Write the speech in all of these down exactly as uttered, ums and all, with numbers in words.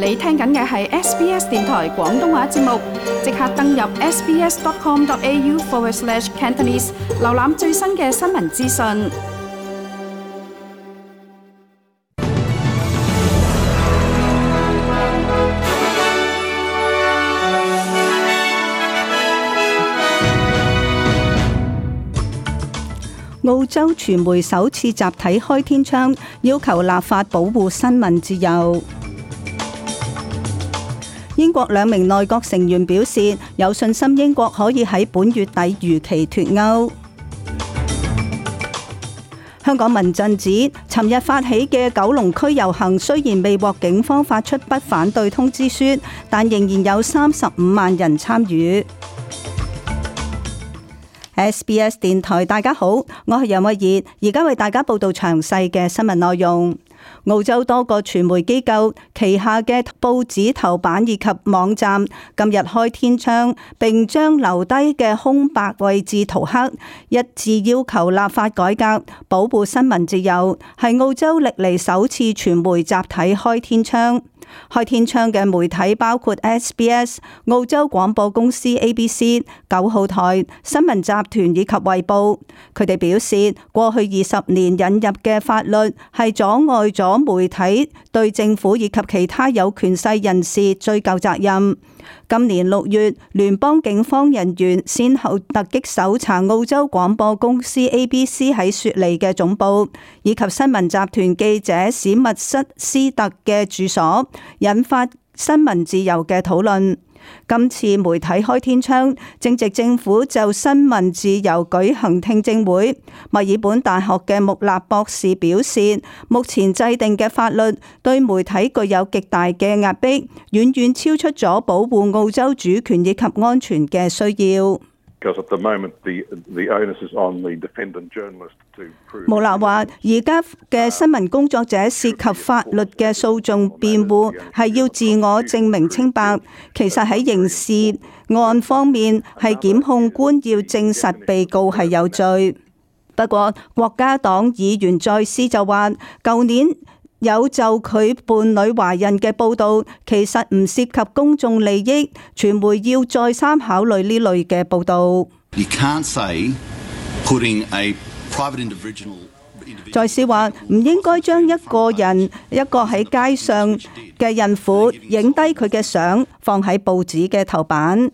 你聽緊嘅係 S B S 電台廣東話節目，即刻登入 sbs.com.au forward slash Cantonese， 瀏覽最新嘅新聞資訊。澳洲傳媒首次集體開天窗，要求立法保護新聞自由。英國兩名內閣成員表示有信心英國可以喺本月底如期脫歐。香港民陣指，尋日發起嘅九龍區遊行雖然未獲警方發出不反對通知書，但仍然有三十五萬人參與。S B S 電台，大家好，我係楊慧儀，而家為大家報道詳細嘅新聞內容。澳洲多個傳媒機構旗下嘅報紙頭版以及網站今日開天窗，並將留低嘅空白位置塗黑，一致要求立法改革，保護新聞自由，係澳洲歷嚟首次傳媒集體開天窗。開天窗嘅媒體包括 S B S、澳洲廣播公司 A B C、九號台、新聞集團以及衛報。佢哋表示，過去二十年引入嘅法律係阻礙咗媒體對政府以及其他有權勢人士追究責任。今年六月，聯邦警方人員先後突擊搜查澳洲廣播公司 A B C 喺雪梨嘅總部，以及新聞集團記者史密斯斯特嘅住所，引發新聞自由嘅討論。今次媒體開天窗，正值政府就新聞自由舉行聽證會。墨爾本大學嘅穆納博士表示，目前制定嘅法律對媒體具有極大嘅壓迫，遠遠超出咗保護澳洲主權以及安全嘅需要。穆納話：而家嘅新聞工作者涉及法律嘅訴訟辯護，係要自我證明清白。其實喺刑事案方面，係檢控官要證實被告係有罪。不過，國家黨議員再斯就話，舊年有就佢伴侶懷孕嘅報導，其實唔涉及公眾利益，傳媒要再三考慮呢類嘅報導。在是話唔應該將一個人一個喺街上嘅孕婦影低佢嘅相放喺報紙嘅頭版。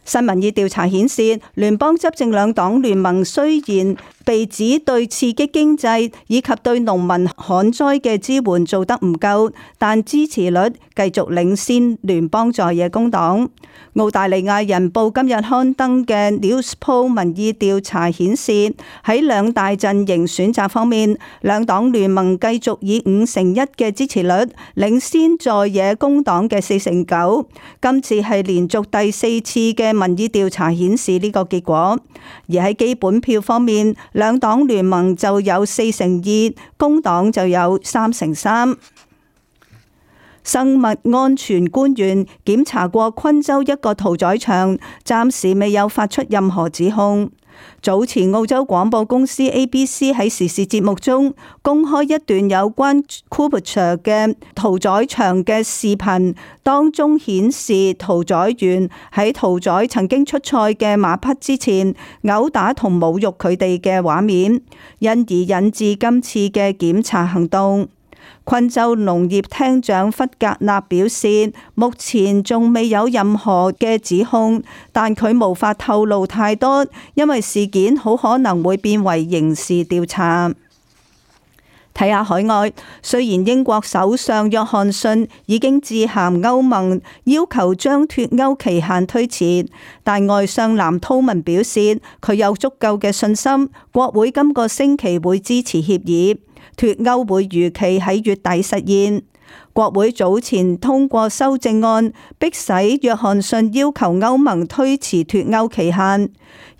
新民意調查顯示，聯邦執政兩黨聯盟雖然被指對刺激經濟以及對農民旱災嘅支援做得唔夠，但支持率繼續領先聯邦在野工黨。澳大利亞人報今日刊登嘅 Newspoll 民意調查顯示，喺兩大陣營選擇方面，兩黨聯盟繼續以五成一嘅支持率領先在野工黨嘅四成九。今次係連續第四次嘅民意調查顯示呢個結果。而喺基本票方面，兩黨聯盟就有四成二，工黨就有三成三。生物安全官員檢查過昆州一個屠宰場，暫時未有發出任何指控。早前澳洲廣播公司 A B C 喺時事節目中公開一段有關 Coopershire 嘅屠宰場嘅視頻，當中顯示屠宰員喺屠宰曾經出賽嘅馬匹之前毆打同侮辱佢哋嘅畫面，因而引致今次嘅檢查行動。昆州農業廳長弗格納表示，目前仲未有任何嘅指控，但佢無法透露太多，因為事件好可能會變為刑事調查。睇下海外，雖然英國首相約翰遜已經致函歐盟，要求將脫歐期限推遲，但外相藍韜文表示，佢有足夠嘅信心，國會今個星期會支持協議。脫歐會如期喺月底實現。國會早前通過修正案，迫使約翰遜要求歐盟推遲脫歐期限。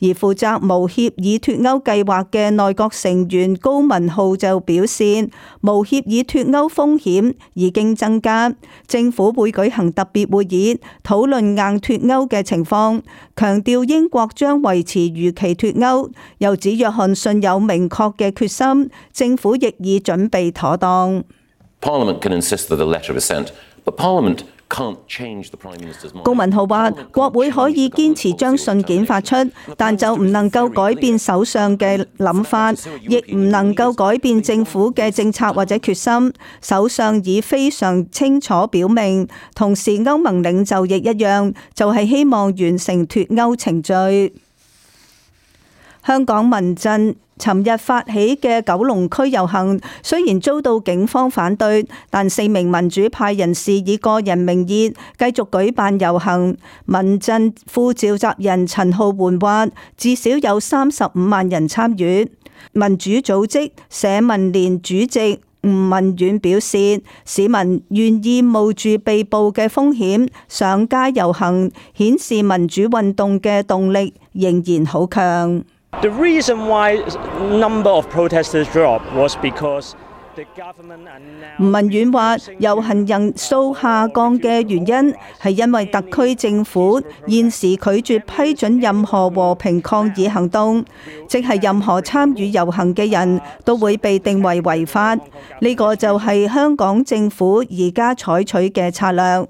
而負責無協議脫歐計劃嘅內閣成員高文浩就表示，無協議脫歐風險已經增加，政府會舉行特別會議討論硬脫歐嘅情況，強調英國將維持如期脫歐，又指約翰遜有明確嘅決心，政府亦已準備妥當。Parliament can insist that the letter of assent 高文浩話：國會可以堅持將信件發出，但就唔能夠改變首相嘅諗法，亦唔能夠改變政府嘅政策或者決心。首相已非常清楚表明，同時歐盟領袖亦一樣，就係希望完成脫歐程序。香港民陣尋日發起嘅九龍區遊行，雖然遭到警方反對，但四名民主派人士以個人名義繼續舉辦遊行。民陣副召集人陳浩桓話，至少有三十五萬人參與。民主組織社民連主席吳文遠表示，市民願意冒住被捕嘅風險上街遊行，顯示民主運動嘅動力仍然好強。The reason why number of protesters dropped was because the government announced。吳文遠話，遊行人數下降嘅原因係因為特區政府現時拒絕批准任何和平抗議行動，即係任何參與遊行嘅人都會被定為違法。呢個就係香港政府而家採取嘅策略。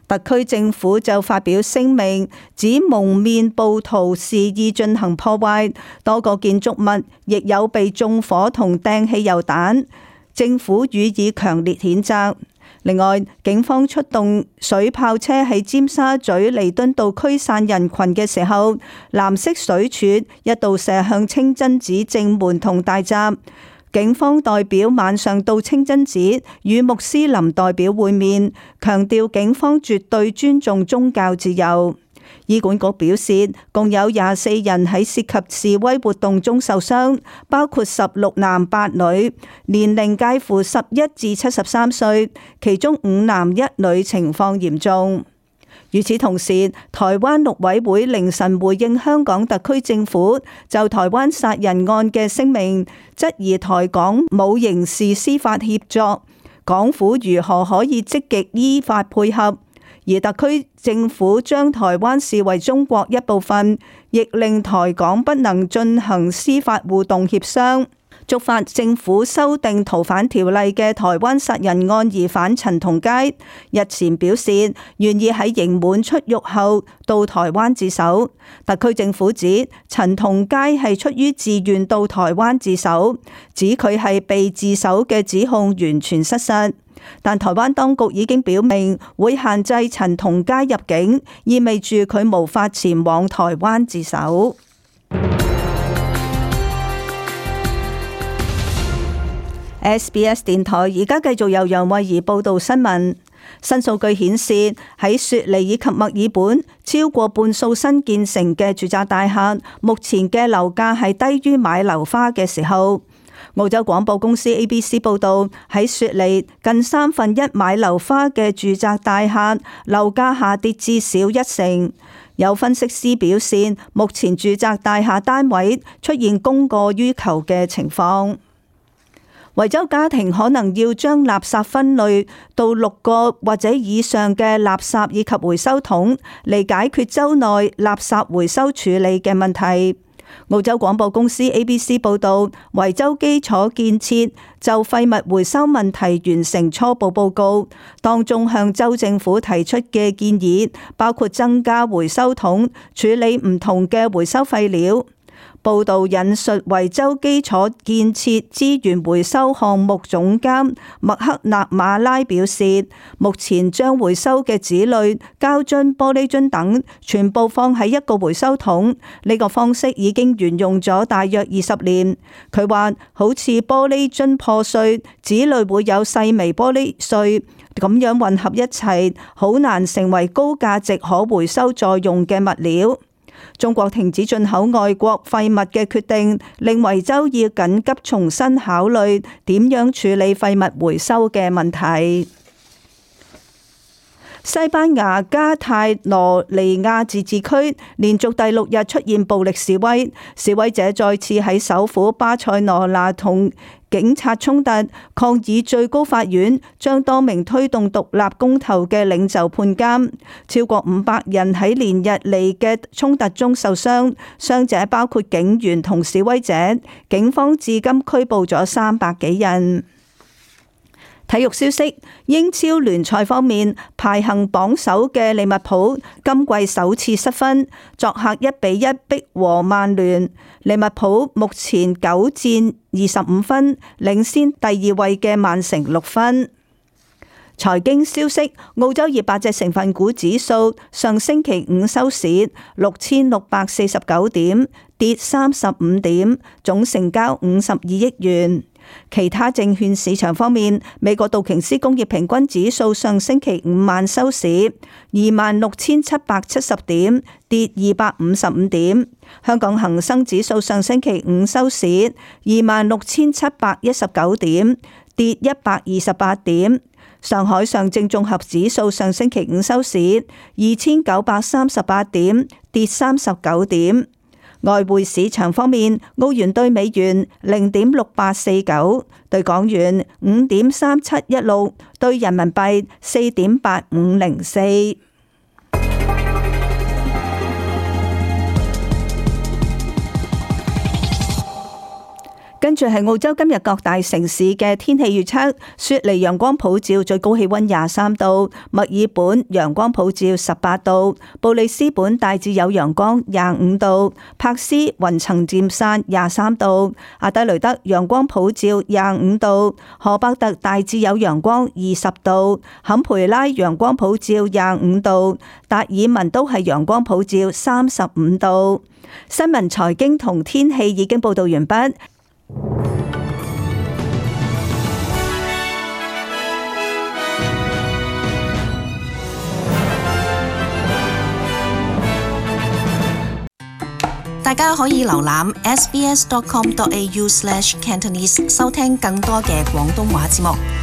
特區政府就發表聲明，指蒙面暴徒肆意進行破壞，多個建築物亦有被縱火同掟汽油彈，政府予以強烈譴責。另外，警方出動水炮車喺尖沙咀彌敦道驅散人群嘅時候，藍色水柱一度射向清真寺正門同大閘。警方代表晚上到清真寺與穆斯林代表會面，強調警方絕對尊重宗教自由。醫管局表示，共有廿四人喺涉及示威活動中受傷，包括十六男八女，年齡介乎十一至七十三歲，其中五男一女情況嚴重。與此同時，台灣陸委會凌晨回應香港特區政府就台灣殺人案嘅聲明，質疑台港冇刑事司法協作，港府如何可以積極依法配合？而特區政府將台灣視為中國一部分，亦令台港不能進行司法互動協商。觸發政府修訂逃犯條例嘅台灣殺人案疑犯陳同佳日前表示，願意喺刑滿出獄後到台灣自首。特區政府指陳同佳係出於自願到台灣自首，指佢係被自首嘅指控完全失實。但台灣當局已經表明會限制陳同佳入境，意味住佢無法前往台灣自首。S B S 電台而家繼續由楊慧儀報道新聞。新數據顯示，喺雪梨以及墨爾本超過半數新建成嘅住宅大廈，目前嘅樓價係低於買樓花嘅時候。澳洲廣播公司 A B C 報道，喺雪梨近三分一買樓花嘅住宅大廈樓價下跌至少一成。有分析師表示，目前住宅大廈單位出現供過於求嘅情況。維州家庭可能要將垃圾分類到六個或者以上嘅垃圾以及回收桶，嚟解決州內垃圾回收處理嘅問題。澳洲廣播公司 A B C 報道，維州基礎建設就廢物回收問題完成初步報告，當中向州政府提出嘅建議包括增加回收桶，處理唔同嘅回收廢料。報道引述維州基礎建設資源回收項目總監麥克納馬拉表示，目前將回收嘅紙類、膠樽、玻璃樽等全部放喺一個回收桶，呢個方式已經沿用咗大約二十年。佢話好似玻璃樽破碎，紙類會有細微玻璃碎，咁樣混合一齊，好難成為高價值可回收再用嘅物料。中國停止進口外國廢物嘅決定，令維州要緊急重新考慮點樣處理廢物回收嘅問題。西班牙加泰羅尼亞自治區連續第六日出現暴力示威，示威者再次喺首府巴塞羅那同警察衝突，抗議最高法院將多名推動獨立公投嘅領袖判監。超過五百人喺連日嚟嘅衝突中受傷，傷者包括警員同示威者。警方至今拘捕咗三百幾人。體育消息，英超聯賽方面，排行榜首嘅利物浦今季首次失分，作客一比一逼和曼聯。利物浦目前九戰二十五分，領先第二位嘅曼城六分。財經消息，澳洲二百隻成分股指數上星期五收市六千六百四十九點，跌三十五點，總成交五十二億元。其他證券市場方面，美國道瓊斯工業平均指數上星期五晚收市二萬六千七百七十點，跌二百五十五點。香港恒生指數上星期五收市二萬六千七百一十九點，跌一百二十八點。上海上證綜合指數上星期五收市二千九百三十八點，跌三十九點。外匯市場方面，澳元對美元零點六八四九，對港元五點三七一六，對人民幣四點八五零四。跟住係澳洲今日各大城市嘅天氣預測：雪梨陽光普照，最高氣溫廿三度；墨爾本陽光普照十八度；布里斯本大致有陽光廿五度；柏斯雲層漸散廿三度；阿德雷德陽光普照廿五度；荷伯特大致有陽光二十度；坎培拉陽光普照廿五度；達爾文都係陽光普照三十五度。新聞、財經同天氣已經報道完畢。大家可以瀏覽 s b s dot com dot a u slash cantonese 收聽更多嘅廣東話節目。